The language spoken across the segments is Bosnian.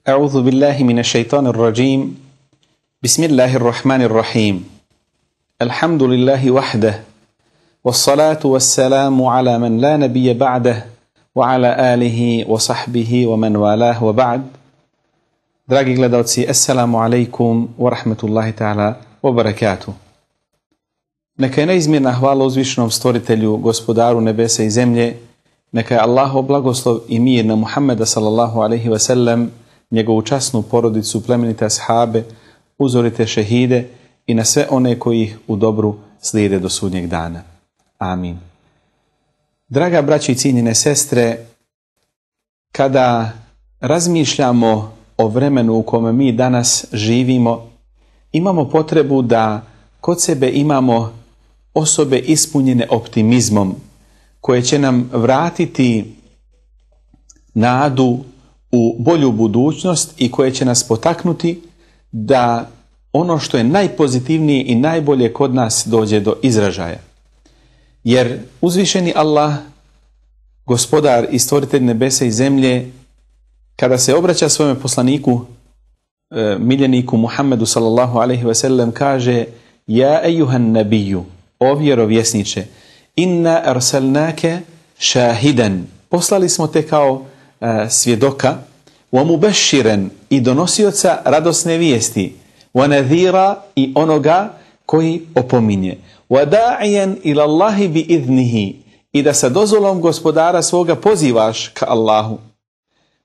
أعوذ بالله من الشيطان الرجيم بسم الله الرحمن الرحيم الحمد لله وحده والصلاة والسلام على من لا نبي بعده وعلى آله وصحبه ومن والاه وبعد. Dragi gledalci, assalamu alaikum wa rahmatullahi ta'ala wa barakatuh. Neka je neizmjerna hvala uzvišenom stvoritelju, gospodaru nebesa i zemlje. Neka je Allahov blagoslov i mir na Muhammeda sallallahu alaihi wa sallam, njegovu časnu porodicu, plemenite ashabe, uzorite šehide i na sve one koji ih u dobru slijede do sudnjeg dana. Amin. Draga braći i cijenjene sestre, kada razmišljamo o vremenu u kome mi danas živimo, imamo potrebu da kod sebe imamo osobe ispunjene optimizmom, koje će nam vratiti nadu u bolju budućnost i koje će nas potaknuti da ono što je najpozitivnije i najbolje kod nas dođe do izražaja. Jer uzvišeni Allah, gospodar i stvoritelj nebesa i zemlje, kada se obraća svome poslaniku, miljeniku Muhammedu sallallahu alaihi ve sellem, kaže: Ja ejuhan nabiju, o vjerovjesniče, inna arsalnake šahidan, poslali smo te kao svjedoka, wa mubashiran, i donosioca radosne vijesti, wa nadhira, i onoga koji opominje, wa da'iyan ila Allahi bi idnihi, i da sa dozvolom gospodara svoga pozivaš ka Allahu,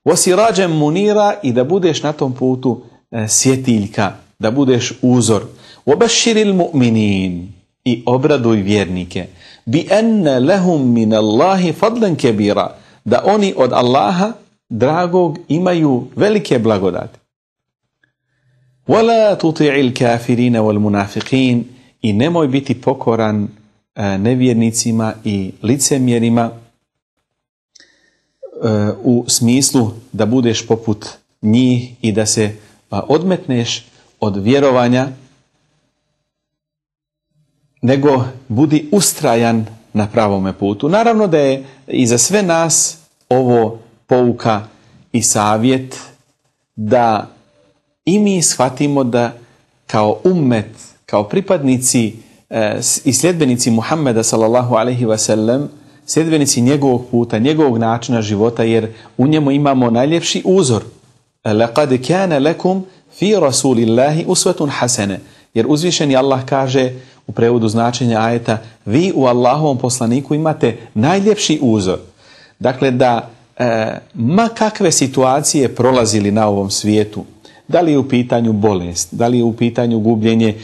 wa sirajan munira, i da budeš na tom putu svjetiljka, da budeš uzor, wa bashiril mu'minin, i obraduj vjernike, bi anna lahum min Allahi fadlan kabira, da oni od Allaha dragog imaju velike blagodati. Wala tuti'il kafirina wal munafiqin, i nemoj biti pokoran nevjernicima i licemjerima, u smislu da budeš poput njih i da se odmetneš od vjerovanja, nego budi ustrajan na pravome putu. Naravno da je i za sve nas ovo pouka i savjet da i mi shvatimo da kao ummet, kao pripadnici i sljedbenici Muhammeda sallallahu alaihi wa sallam, sljedbenici njegovog puta, njegovog načina života, jer u njemu imamo najljepši uzor. Laqad kana lakum fi rasulillahi uswatun hasana, jer uzvišeni Allah kaže u prevodu značenja ajeta: vi u Allahovom poslaniku imate najljepši uzor. Dakle, da ma kakve situacije prolazili na ovom svijetu, da li je u pitanju bolest, da li je u pitanju gubljenje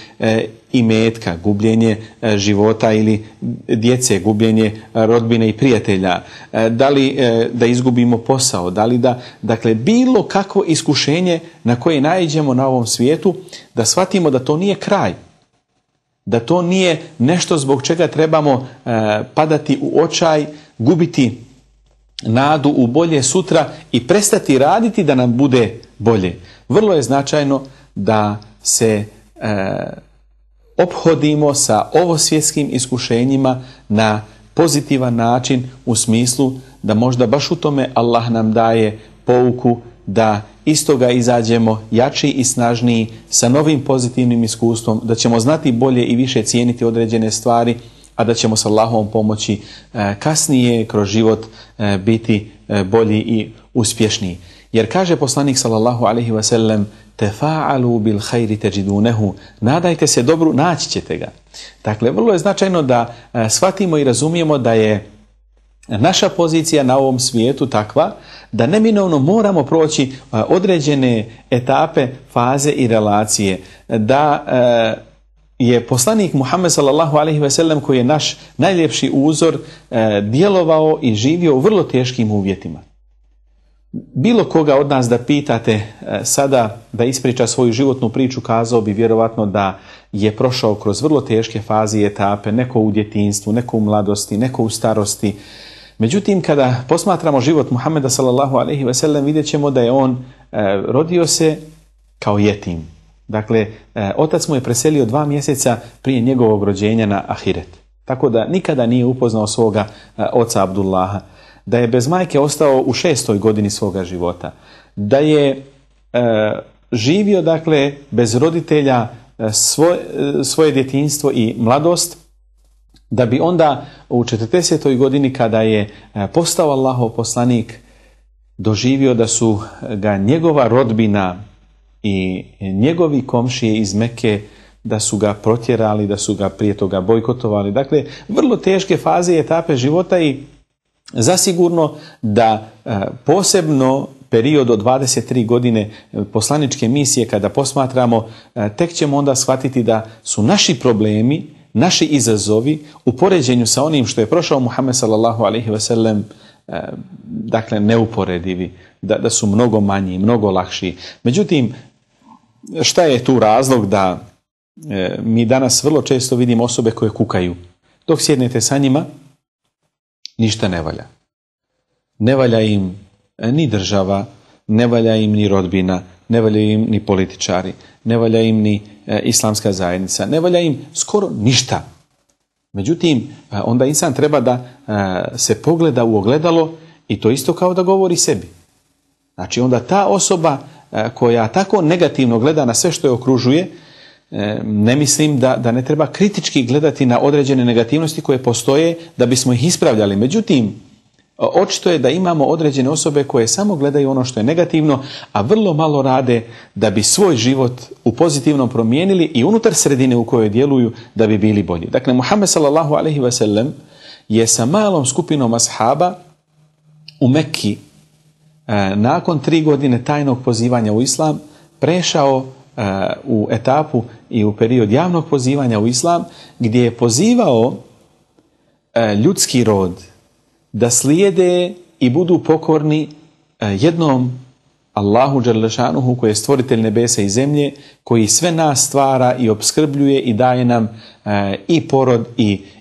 imetka, gubljenje života ili djece, gubljenje rodbine i prijatelja, da li da izgubimo posao, da li da, dakle, bilo kakvo iskušenje na koje naiđemo na ovom svijetu, da shvatimo da to nije kraj, da to nije nešto zbog čega trebamo padati u očaj, gubiti nadu u bolje sutra i prestati raditi da nam bude bolje. Vrlo je značajno da se ophodimo sa ovosvjetskim iskušenjima na pozitivan način, u smislu da možda baš u tome Allah nam daje pouku da iz toga izađemo jači i snažniji, sa novim pozitivnim iskustvom, da ćemo znati bolje i više cijeniti određene stvari, a da ćemo s Allahovom pomoći kasnije kroz život biti bolji i uspješniji. Jer kaže poslanik sallallahu alaihi wa sallam: tefa'alu bil khayri tajidunehu, nadajte se dobru, naći ćete ga. Dakle, vrlo je značajno da shvatimo i razumijemo da je naša pozicija na ovom svijetu takva da neminovno moramo proći određene etape, faze i relacije, da je poslanik Muhammed sallallahu alejhi ve sellem, koji je naš najljepši uzor, djelovao i živio u vrlo teškim uvjetima. Bilo koga od nas da pitate sada da ispriča svoju životnu priču, kazao bi vjerovatno da je prošao kroz vrlo teške faze i etape, neko u djetinjstvu, neko u mladosti, neko u starosti. Međutim, kada posmatramo život Muhammeda sallallahu alejhi ve sellem, vidjet ćemo da je on rodio se kao jetim. Dakle, otac mu je preselio 2 mjeseca prije njegovog rođenja na ahiret. Tako da nikada nije upoznao svoga oca Abdullaha. Da je bez majke ostao u 6. godini svoga života. Da je živio dakle bez roditelja svoje djetinjstvo i mladost, da bi onda u 40. godini kada je postao Allahov poslanik doživio da su ga njegova rodbina i njegovi komšije iz Mekke da su ga protjerali, da su ga prije toga bojkotovali. Dakle, vrlo teške faze i etape života i zasigurno da posebno period od 23 godine poslaničke misije kada posmatramo, tek ćemo onda shvatiti da su naši problemi, naši izazovi u poređenju sa onim što je prošao Muhammed sallallahu alejhi ve sellem, dakle neuporedivi, da su mnogo manji, mnogo lakši. Međutim, šta je tu razlog da mi danas vrlo često vidimo osobe koje kukaju? Dok sjednete sa njima, ništa ne valja. Ne valja im ni država, ne valja im ni rodbina, ne valja im ni političari, ne valja im ni islamska zajednica, ne valja im skoro ništa. Međutim, onda insan treba da se pogleda u ogledalo i to isto kao da govori sebi. Znači onda ta osoba koja tako negativno gleda na sve što je okružuje, ne mislim da ne treba kritički gledati na određene negativnosti koje postoje da bismo ih ispravljali. Međutim, očito je da imamo određene osobe koje samo gledaju ono što je negativno, a vrlo malo rade da bi svoj život u pozitivnom promijenili i unutar sredine u kojoj djeluju da bi bili bolji. Dakle, Muhammed sallallahu alejhi ve sellem je sa malom skupinom ashaba u Mekki nakon 3 godine tajnog pozivanja u islam prešao u etapu i u period javnog pozivanja u islam, gdje je pozivao ljudski rod da slijede i budu pokorni jednom Allahu dželle šanuhu koji je stvoritelj nebesa i zemlje, koji sve nas stvara i opskrbljuje i daje nam i porod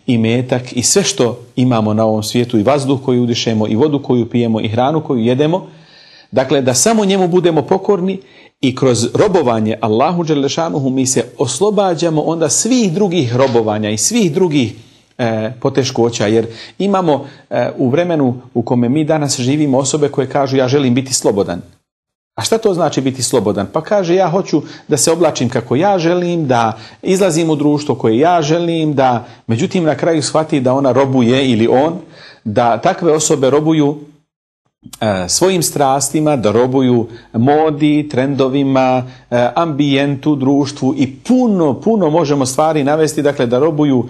i metak i sve što imamo na ovom svijetu, i vazduh koji udišemo i vodu koju pijemo i hranu koju jedemo. Dakle, da samo njemu budemo pokorni i kroz robovanje Allahu dželle šanuhu mi se oslobađamo onda svih drugih robovanja i svih drugih poteškoća, jer imamo u vremenu u kome mi danas živimo osobe koje kažu ja želim biti slobodan. A šta to znači biti slobodan? Pa kaže ja hoću da se oblačim kako ja želim, da izlazim u društvo koje ja želim, da međutim na kraju shvati da ona robuje ili on, da takve osobe robuju svojim strastima, da robuju modi, trendovima, ambijentu, društvu i puno možemo stvari navesti, dakle da robuju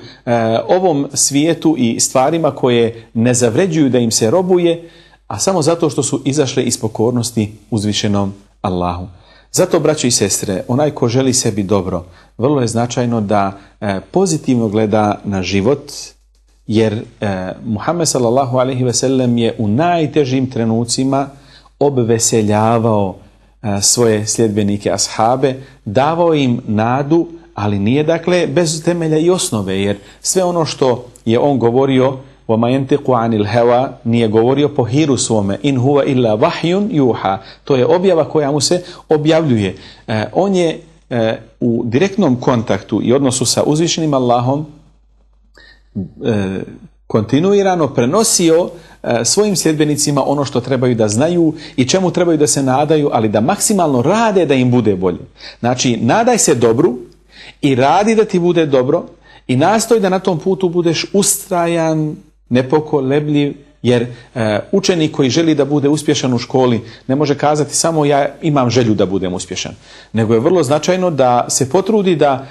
ovom svijetu i stvarima koje ne zavređuju da im se robuje, a samo zato što su izašle iz pokornosti uzvišenom Allahu. Zato, braćo i sestre, onaj ko želi sebi dobro, vrlo je značajno da pozitivno gleda na život, jer Muhammed sallallahu alejhi ve sellem je u najtežim trenucima obveseljavao svoje sljedbenike ashabe, davao im nadu, ali nije dakle bez temelja i osnove, jer sve ono što je on govorio وَمَا يَنْتِقُ عَنِ الْهَوَا nije govorio po hiru svome, in huwa illa vahyun yuha, to je objava koja mu se objavljuje. On je u direktnom kontaktu i odnosu sa uzvišenim Allahom kontinuirano prenosio svojim sljedbenicima ono što trebaju da znaju i čemu trebaju da se nadaju, ali da maksimalno rade da im bude bolje. Znači, nadaj se dobru i radi da ti bude dobro i nastoj da na tom putu budeš ustrajan, nepokolebljiv, jer učenik koji želi da bude uspješan u školi ne može kazati samo ja imam želju da budem uspješan, nego je vrlo značajno da se potrudi da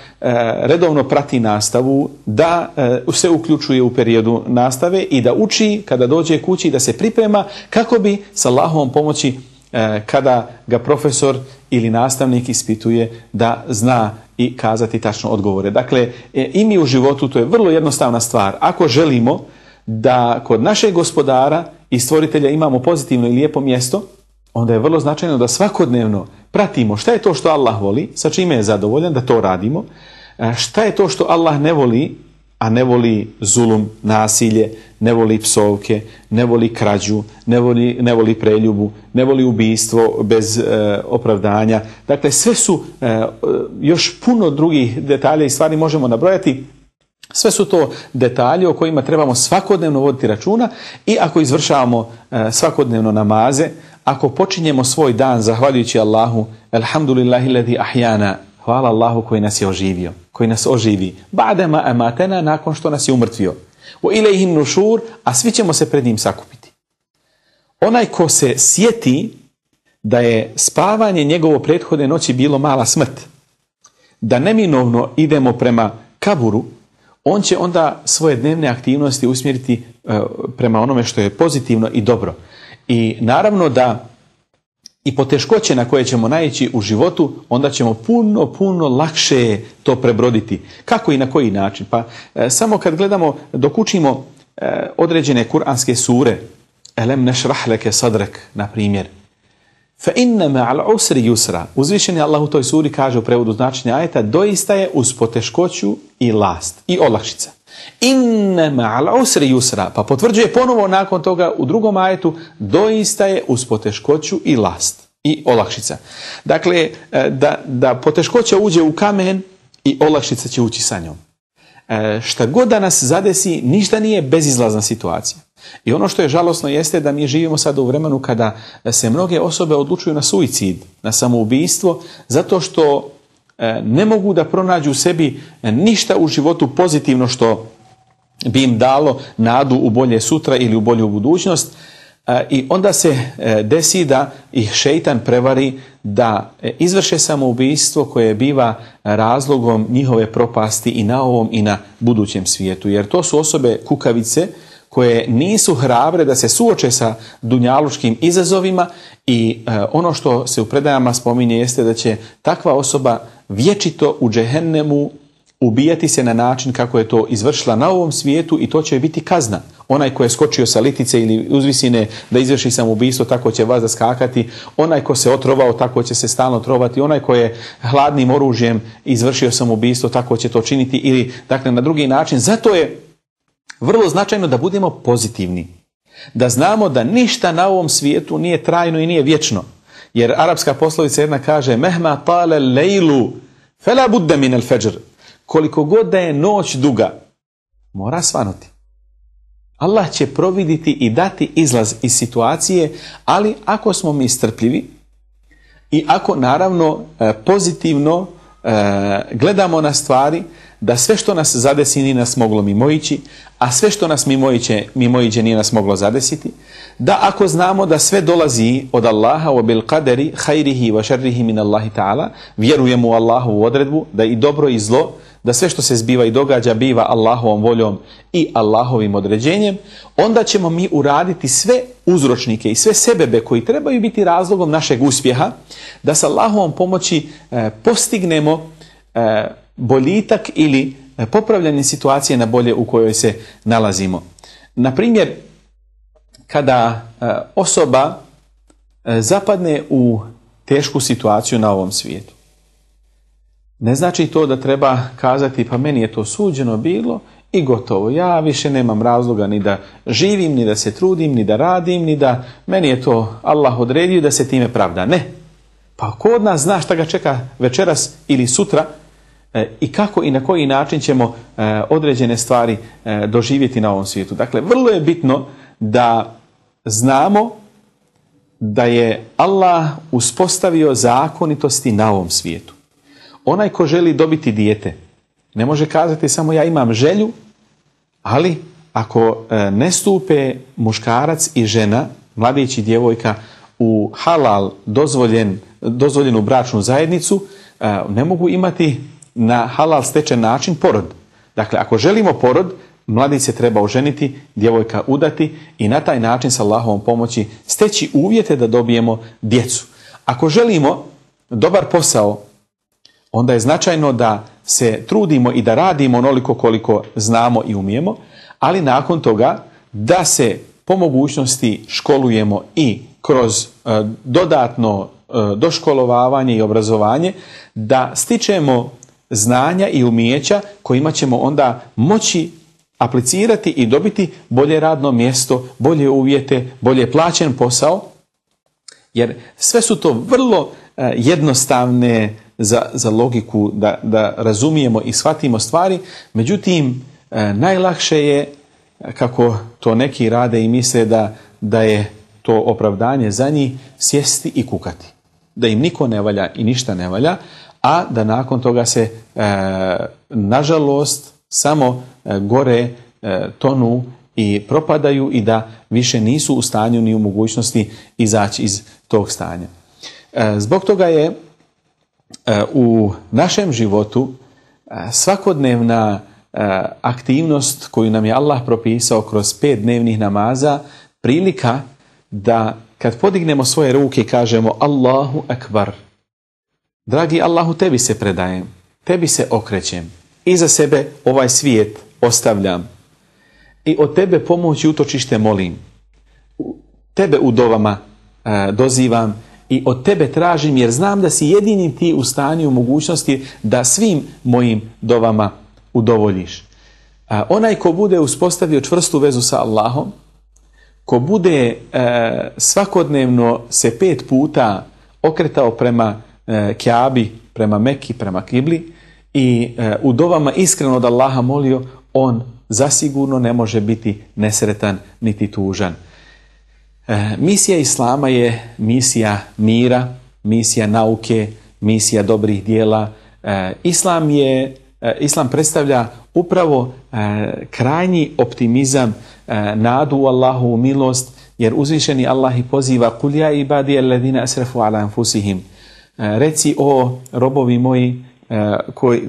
redovno prati nastavu, da se uključuje u periodu nastave i da uči kada dođe kući, da se priprema kako bi s Allahovom pomoći kada ga profesor ili nastavnik ispituje da zna i kazati tačno odgovore. Dakle, i mi u životu, to je vrlo jednostavna stvar. Ako želimo da kod našeg gospodara i stvoritelja imamo pozitivno i lijepo mjesto, onda je vrlo značajno da svakodnevno pratimo šta je to što Allah voli, sa čime je zadovoljan, da to radimo, šta je to što Allah ne voli, a ne voli zulum, nasilje, ne voli psovke, ne voli krađu, ne voli preljubu, ne voli ubijstvo bez opravdanja. Dakle, sve su još puno drugih detalja i stvari možemo nabrojati. Sve su to detalji o kojima trebamo svakodnevno voditi računa i ako izvršavamo svakodnevno namaze, ako počinjemo svoj dan zahvaljujući Allahu, alhamdulillahi ladhi ahjana, hvala Allahu koji nas je oživio, koji nas oživi, ba'dama amatena, nakon što nas je umrtvio, wa ilayhi nušur, a svi ćemo se pred njim sakupiti. Onaj ko se sjeti da je spavanje njegovo prethodne noći bilo mala smrt, da neminovno idemo prema kaburu, on će onda svoje dnevne aktivnosti usmjeriti prema onome što je pozitivno i dobro. I naravno da i poteškoće na koje ćemo naići u životu, onda ćemo puno lakše to prebroditi. Kako i na koji način? Pa samo kad gledamo, dok učimo određene kuranske sure, Elem nešrah leke sadrek, na primjer, fa inna ma'al usri yusra, uzvišeni Allah u toj suri kaže u prevodu značenja ajeta, doista je uz poteškoću i last i olakšica. Inna ma'al usri yusra, pa potvrđuje ponovo nakon toga u drugom ajetu, doista je uz poteškoću i last i olakšica. Dakle, da poteškoća uđe u kamen i olakšica će ući sa njom. Šta god da nas zadesi, ništa nije bezizlazna situacija. I ono što je žalosno jeste da mi živimo sada u vremenu kada se mnoge osobe odlučuju na suicid, na samoubistvo, zato što ne mogu da pronađu u sebi ništa u životu pozitivno što bi im dalo nadu u bolje sutra ili u bolju budućnost. I onda se desi da ih šejtan prevari da izvrše samoubistvo koje biva razlogom njihove propasti i na ovom i na budućem svijetu. Jer to su osobe kukavice koje nisu hrabre da se suoče sa dunjalučkim izazovima i ono što se u predajama spominje jeste da će takva osoba vječito u džehennemu ubijati se na način kako je to izvršila na ovom svijetu i to će biti kazna. Onaj ko je skočio sa litice ili uzvisine da izvrši samoubistvo, tako će vas skakati. Onaj ko se otrovao, tako će se stalno trovati. Onaj ko je hladnim oružjem izvršio samoubistvo, tako će to činiti ili dakle na drugi način. Zato je vrlo značajno da budemo pozitivni. Da znamo da ništa na ovom svijetu nije trajno i nije vječno. Jer arapska poslovica jedna kaže mehma tale lejlu fela budde min al fajr. Koliko god da je noć duga, mora svanuti. Allah će providiti i dati izlaz iz situacije, ali ako smo mi strpljivi i ako naravno pozitivno gledamo na stvari, da sve što nas zadesi nije nas moglo mimoići, a sve što nas mimoiđe nije nas moglo zadesiti, da ako znamo da sve dolazi od Allaha wa bil qadari khairihi wa sharrihi min Allahi ta'ala, vjerujemo u Allahovu odredbu da i dobro i zlo, da sve što se zbiva i događa biva Allahovom voljom i Allahovim određenjem, onda ćemo mi uraditi sve uzročnike i sve sebebe koji trebaju biti razlogom našeg uspjeha, da sa Allahovom pomoći postignemo boljitak ili popravljanje situacije na bolje u kojoj se nalazimo. Na primjer, kada osoba zapadne u tešku situaciju na ovom svijetu, ne znači to da treba kazati pa meni je to suđeno bilo i gotovo. Ja više nemam razloga ni da živim, ni da se trudim, ni da radim, ni da meni je to Allah odredio da se time pravda. Ne. Pa ko od nas zna šta ga čeka večeras ili sutra i kako i na koji način ćemo određene stvari doživjeti na ovom svijetu. Dakle, vrlo je bitno da znamo da je Allah uspostavio zakonitosti na ovom svijetu. Onaj ko želi dobiti dijete, ne može kazati samo ja imam želju, ali ako ne stupe muškarac i žena, mladić i djevojka, u halal dozvoljenu bračnu zajednicu, ne mogu imati na halal stečen način porod. Dakle, ako želimo porod, mladić se treba oženiti, djevojka udati i na taj način sa Allahovom pomoći steći uvjete da dobijemo djecu. Ako želimo dobar posao, onda je značajno da se trudimo i da radimo onoliko koliko znamo i umijemo, ali nakon toga da se po mogućnosti školujemo i kroz dodatno doškolovavanje i obrazovanje, da stičemo znanja i umijeća kojima ćemo onda moći aplicirati i dobiti bolje radno mjesto, bolje uvjete, bolje plaćen posao, jer sve su to vrlo jednostavne za logiku da razumijemo i shvatimo stvari, međutim najlakše je, kako to neki rade i misle da je to opravdanje za njih, sjesti i kukati. Da im niko ne valja i ništa ne valja, a da nakon toga se, nažalost, samo gore tonu i propadaju i da više nisu u stanju ni u mogućnosti izaći iz tog stanja. Zbog toga je u našem životu svakodnevna aktivnost koju nam je Allah propisao kroz 5 dnevnih namaza prilika da kad podignemo svoje ruke i kažemo Allahu Akbar, dragi Allahu, tebi se predajem, tebi se okrećem, iza sebe ovaj svijet ostavljam i od tebe pomoć i utočište molim, tebe u dovama dozivam i od tebe tražim, jer znam da si jedini ti u stanju, u mogućnosti da svim mojim dovama udovoljiš. Onaj ko bude uspostavio čvrstu vezu sa Allahom, ko bude svakodnevno se 5 puta okretao prema Kjabi, prema Meki, prema Kibli i u dovama iskreno od Allaha molio, on zasigurno ne može biti nesretan niti tužan. Misija Islama je misija mira, misija nauke, misija dobrih dijela. Islam predstavlja upravo krajnji optimizam, nadu u Allahovu milost, jer uzvišeni Allah i poziva Kul ja ibadi alladhina asrafu ala anfusihim. Reci, o robovi moji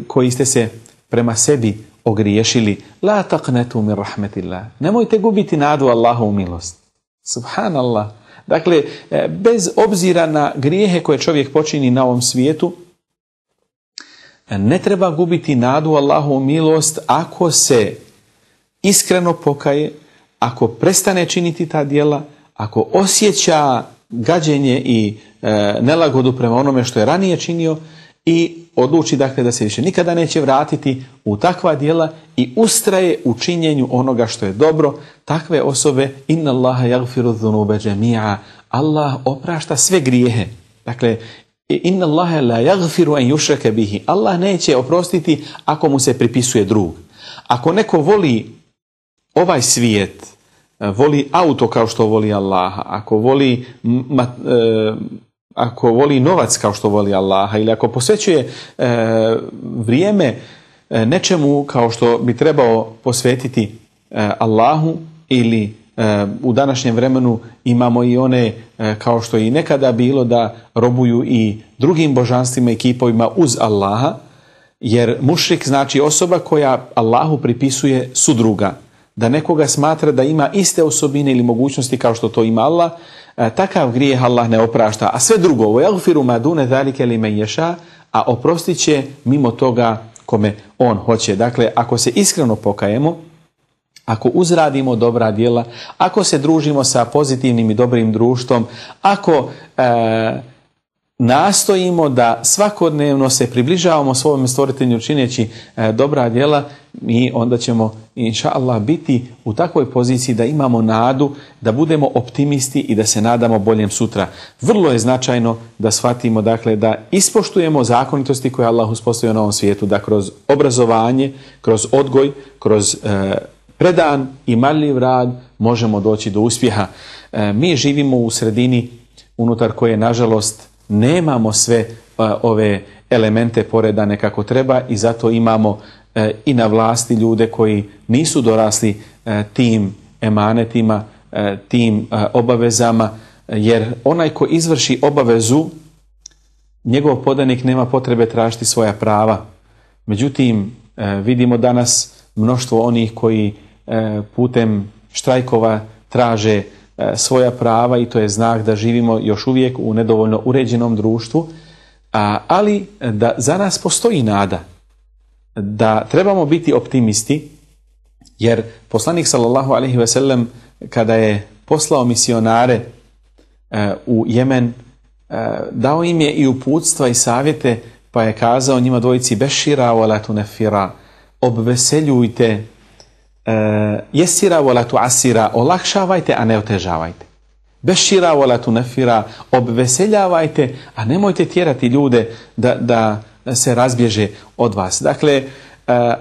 koji ste se prema sebi ogriješili, la taqnatu min rahmetillah. Nemojte gubiti nadu Allahovu milost. Subhanallah. Dakle, bez obzira na grijehe koje čovjek počini na ovom svijetu, ne treba gubiti nadu Allahovu milost ako se iskreno pokaje, ako prestane činiti ta djela, ako osjeća gađenje i nelagodu prema onome što je ranije činio i odluči dakle da se više nikada neće vratiti u takva djela i ustraje u činjenju onoga što je dobro. Takve osobe, inna Allaha yaghfiru dhunuba jami'a, Allah oprašta sve grijehe. Dakle, inna Allaha la yaghfiru an yushraka bihi, Allah neće oprostiti ako mu se pripisuje drug. Ako neko voli ovaj svijet, voli auto kao što voli Allaha, ako voli novac kao što voli Allaha, ili ako posvećuje vrijeme nečemu kao što bi trebao posvetiti Allahu, ili u današnjem vremenu imamo i one, kao što je i nekada bilo, da robuju i drugim božanstvima i kipovima uz Allaha, jer mušrik znači osoba koja Allahu pripisuje sudruga, da nekoga smatra da ima iste osobine ili mogućnosti kao što to ima Allah. Takav grijeh Allah ne oprašta, a sve drugo, وَيَغْفِرُ مَا دُونَ ذَلِكَ لِمَنْ يَشَاءُ, a oprostit će mimo toga kome on hoće. Dakle, ako se iskreno pokajemo, ako uzradimo dobra djela, ako se družimo sa pozitivnim i dobrim društvom, ako nastojimo da svakodnevno se približavamo svojom stvoritelju čineći dobra djela, mi onda ćemo inša Allah biti u takvoj poziciji da imamo nadu, da budemo optimisti i da se nadamo boljem sutra. Vrlo je značajno da shvatimo, dakle, da ispoštujemo zakonitosti koje Allah uspostavio na ovom svijetu, da kroz obrazovanje, kroz odgoj, kroz predan i marljiv rad možemo doći do uspjeha. Mi živimo u sredini unutar koje, nažalost, nemamo sve ove elemente poredane kako treba i zato imamo i na vlasti ljude koji nisu dorasli tim emanetima, tim obavezama, jer onaj ko izvrši obavezu, njegov podanik nema potrebe tražiti svoja prava. Međutim, vidimo danas mnoštvo onih koji putem štrajkova traže svoja prava i to je znak da živimo još uvijek u nedovoljno uređenom društvu, ali da za nas postoji nada, da trebamo biti optimisti, jer poslanik sallallahu alejhi ve sellem kada je poslao misionare u Jemen, dao im je i uputstva i savjete, pa je kazao njima dvojici bešira wala tunfira, obveseljujte, jesira wala tuasira, olakšavajte a ne otežavajte. Bešira wala tunfira, obveseljavajte a nemojte tjerati ljude da se razbježe od vas. Dakle,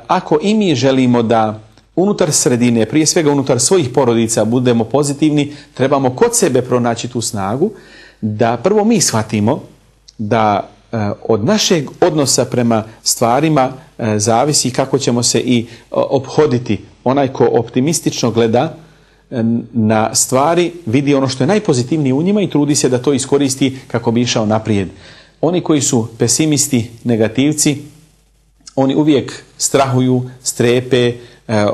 ako i mi želimo da unutar sredine, prije svega unutar svojih porodica budemo pozitivni, trebamo kod sebe pronaći tu snagu da prvo mi shvatimo da od našeg odnosa prema stvarima zavisi kako ćemo se i ophoditi. Onaj ko optimistično gleda na stvari, vidi ono što je najpozitivnije u njima i trudi se da to iskoristi kako bi išao naprijed. Oni koji su pesimisti, negativci, oni uvijek strahuju, strepe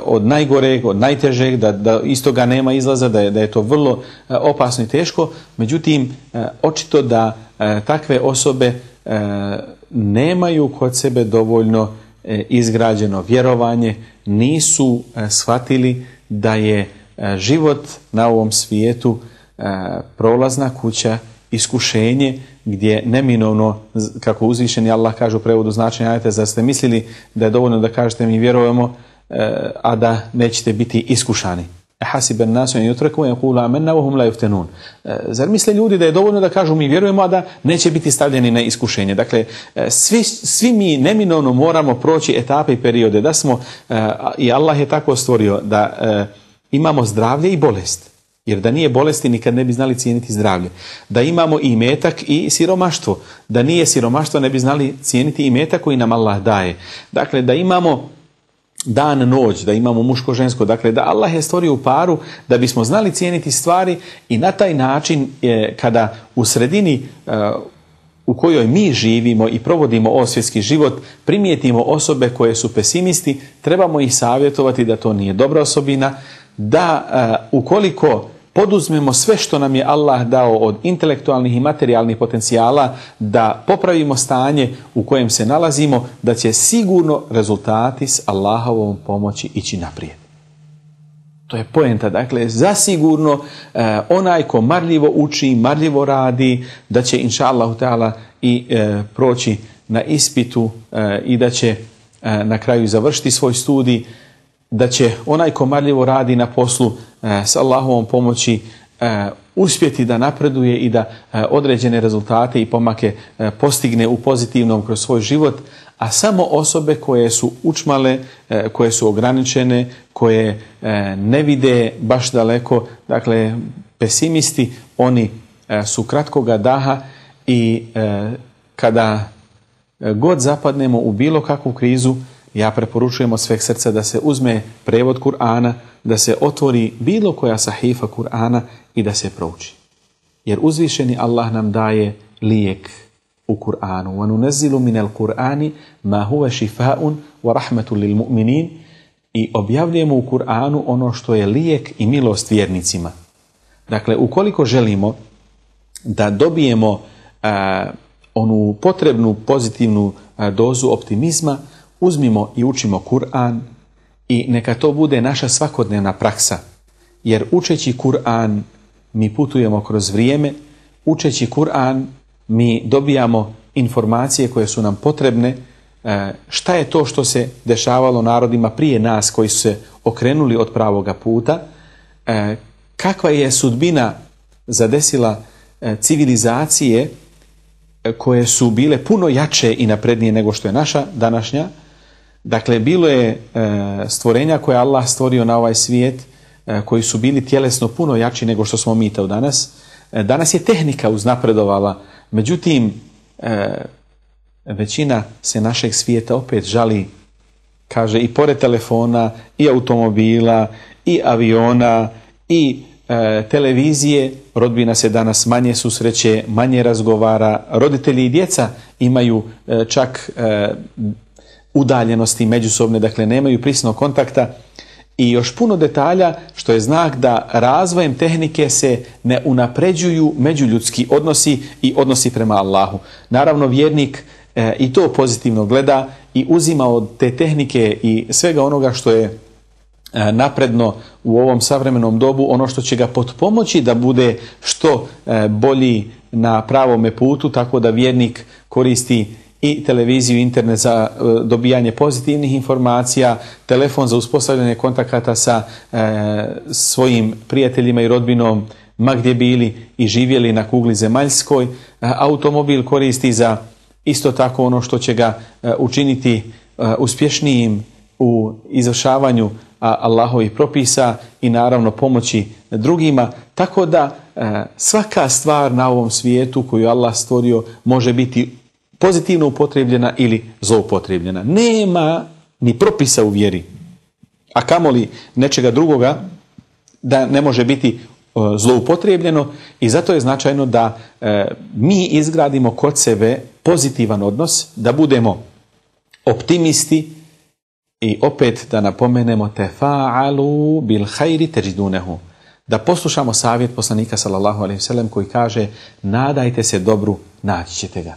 od najgoreg, od najtežeg, da iz toga nema izlaza, da je to vrlo opasno i teško. Međutim, očito da takve osobe nemaju kod sebe dovoljno izgrađeno vjerovanje, nisu shvatili da je život na ovom svijetu prolazna kuća, iskušenje gdje neminovno, kako uzvišeni Allah kaže u prevodu značenja ajeta, zar ste mislili da je dovoljno da kažete mi vjerujemo, a da nećete biti iskušani. Hasiben nasu en yutraku en yaqulu amanna wa hum la yuftanun. Zar misle ljudi da je dovoljno da kažu mi vjerujemo, a da neće biti stavljeni na iskušenje? Dakle, svi mi neminovno moramo proći etape i periode, da smo, i Allah je tako stvorio, da imamo zdravlje i bolest. Jer da nije bolesti nikad ne bi znali cijeniti zdravlje. Da imamo i imetak i siromaštvo. Da nije siromaštvo ne bi znali cijeniti imetak koji nam Allah daje. Dakle, da imamo dan, noć, da imamo muško, žensko. Dakle, da Allah je stvorio u paru da bismo znali cijeniti stvari i na taj način kada u sredini u kojoj mi živimo i provodimo osvjetski život, primijetimo osobe koje su pesimisti, trebamo ih savjetovati da to nije dobra osobina, da ukoliko poduzmemo sve što nam je Allah dao od intelektualnih i materijalnih potencijala, da popravimo stanje u kojem se nalazimo, da će sigurno rezultati s Allahovom pomoći ići naprijed. To je poenta. Dakle, zasigurno onaj ko marljivo uči, marljivo radi, da će inša Allahu ta'ala i proći na ispitu i da će na kraju završiti svoj studij, da će onaj ko marljivo radi na poslu s Allahovom pomoći uspjeti da napreduje i da određene rezultate i pomake postigne u pozitivnom kroz svoj život, a samo osobe koje su učmale, koje su ograničene, koje ne vide baš daleko, dakle pesimisti, oni su kratkoga daha i kada god zapadnemo u bilo kakvu krizu, ja preporučujem od sveg srca da se uzme prevod Kur'ana, da se otvori bilo koja sahifa Kur'ana i da se prouči. Jer uzvišeni Allah nam daje lijek u Kur'anu. وَنُنَزِّلُ مِنَ الْقُرْآنِ مَا هُوَ شِفَاءٌ وَرَحْمَةٌ لِلْمُؤْمِنِينَ. I objavljujemo u Kur'anu ono što je lijek i milost vjernicima. Dakle, ukoliko želimo da dobijemo onu potrebnu pozitivnu dozu optimizma, uzmimo i učimo Kur'an i neka to bude naša svakodnevna praksa. Jer učeći Kur'an mi putujemo kroz vrijeme, učeći Kur'an mi dobijamo informacije koje su nam potrebne, šta je to što se dešavalo narodima prije nas koji su se okrenuli od pravoga puta, kakva je sudbina zadesila civilizacije koje su bile puno jače i naprednije nego što je naša današnja. Dakle, bilo je stvorenja koje Allah stvorio na ovaj svijet, koji su bili tjelesno puno jači nego što smo mi to danas. Danas je tehnika uznapredovala, međutim, većina se našeg svijeta opet žali, kaže, i pored telefona, i automobila, i aviona, i televizije, rodbina se danas manje susreće, manje razgovara, roditelji i djeca imaju čak udaljenosti međusobne, dakle nemaju prisnog kontakta i još puno detalja što je znak da razvojem tehnike se ne unapređuju međuljudski odnosi i odnosi prema Allahu. Naravno, vjernik i to pozitivno gleda i uzima od te tehnike i svega onoga što je napredno u ovom savremenom dobu, ono što će ga potpomoći da bude što bolji na pravome putu, tako da vjernik koristi i televiziju, internet za dobijanje pozitivnih informacija, telefon za uspostavljanje kontakata sa svojim prijateljima i rodbinom ma gdje bili i živjeli na kugli zemaljskoj, automobil koristi za isto tako ono što će ga učiniti uspješnijim u izvršavanju Allahovih propisa i naravno pomoći drugima. Tako da svaka stvar na ovom svijetu koju Allah stvorio može biti pozitivno upotrebljena ili zloupotrebljena. Nema ni propisa u vjeri, a kamoli nečega drugoga da ne može biti zloupotrebljeno, i zato je značajno da mi izgradimo kod sebe pozitivan odnos, da budemo optimisti i opet da napomenemo tefa'alu bil hayri tajidunehu, da poslušamo savjet poslanika sallallahu alejhi ve sellem koji kaže nadajte se dobru, naći ćete ga.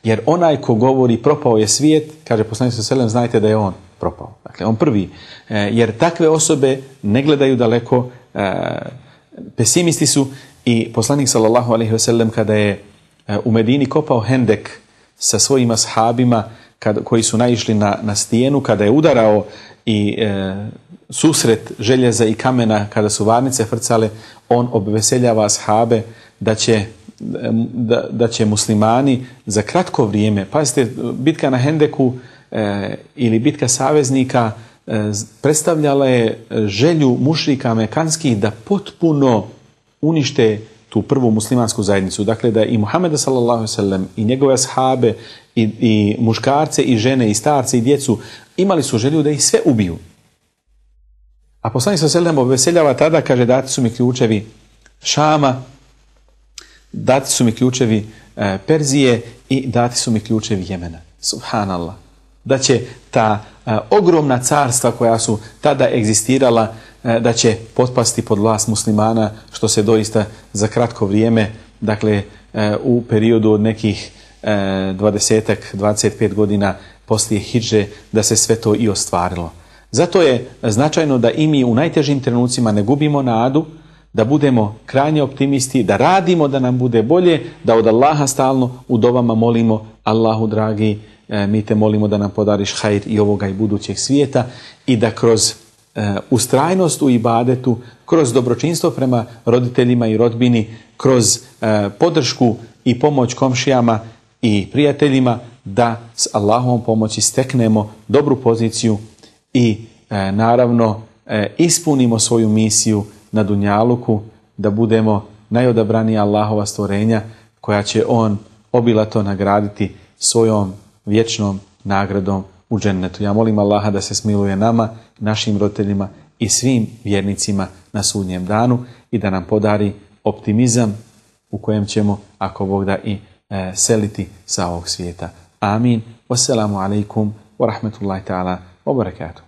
Jer onaj ko govori propao je svijet, kaže poslanik sallallahu alejhi ve sellem, znajte da je on propao. Dakle, on prvi. Jer takve osobe ne gledaju daleko, pesimisti su, i poslanik sallallahu alejhi ve sellem kada je u Medini kopao hendek sa svojim ashabima koji su naišli na stijenu, kada je udarao i susret željeza i kamena, kada su varnice frcale, on obveseljava ashabe da će muslimani za kratko vrijeme, pazite, bitka na Hendeku ili bitka saveznika predstavljala je želju mušrika mekanskih da potpuno unište tu prvu muslimansku zajednicu. Dakle, da i Muhameda sallallahu alejhi ve sellem i njegove ashabe i muškarce i žene i starce i djecu imali su želju da ih sve ubiju. A poslanik sallallahu alejhi ve sellem obveseljava tada, kaže dati su mi ključevi Šama, dati su mi ključevi Perzije i dati su mi ključevi Jemena. Subhanallah. Da će ta ogromna carstva koja su tada egzistirala, da će potpasti pod vlast muslimana, što se doista za kratko vrijeme, dakle u periodu od nekih 25 godina poslije hidže, da se sve to i ostvarilo. Zato je značajno da i mi u najtežim trenucima ne gubimo nadu, da budemo krajnje optimisti, da radimo da nam bude bolje, da od Allaha stalno u dovama molimo: Allahu dragi, mi te molimo da nam podariš hajr i ovoga i budućeg svijeta, i da kroz ustrajnost u ibadetu, kroz dobročinstvo prema roditeljima i rodbini, kroz podršku i pomoć komšijama i prijateljima, da s Allahovom pomoći steknemo dobru poziciju i naravno ispunimo svoju misiju na dunjaluku, da budemo najodabranija Allahova stvorenja koja će on obilato nagraditi svojom vječnom nagradom u džennetu. Ja molim Allaha da se smiluje nama, našim roditeljima i svim vjernicima na sudnjem danu i da nam podari optimizam u kojem ćemo, ako Bog da, i seliti sa ovog svijeta. Amin. Wassalamu alaikum wa rahmatullahi ta'ala wa barakatuh.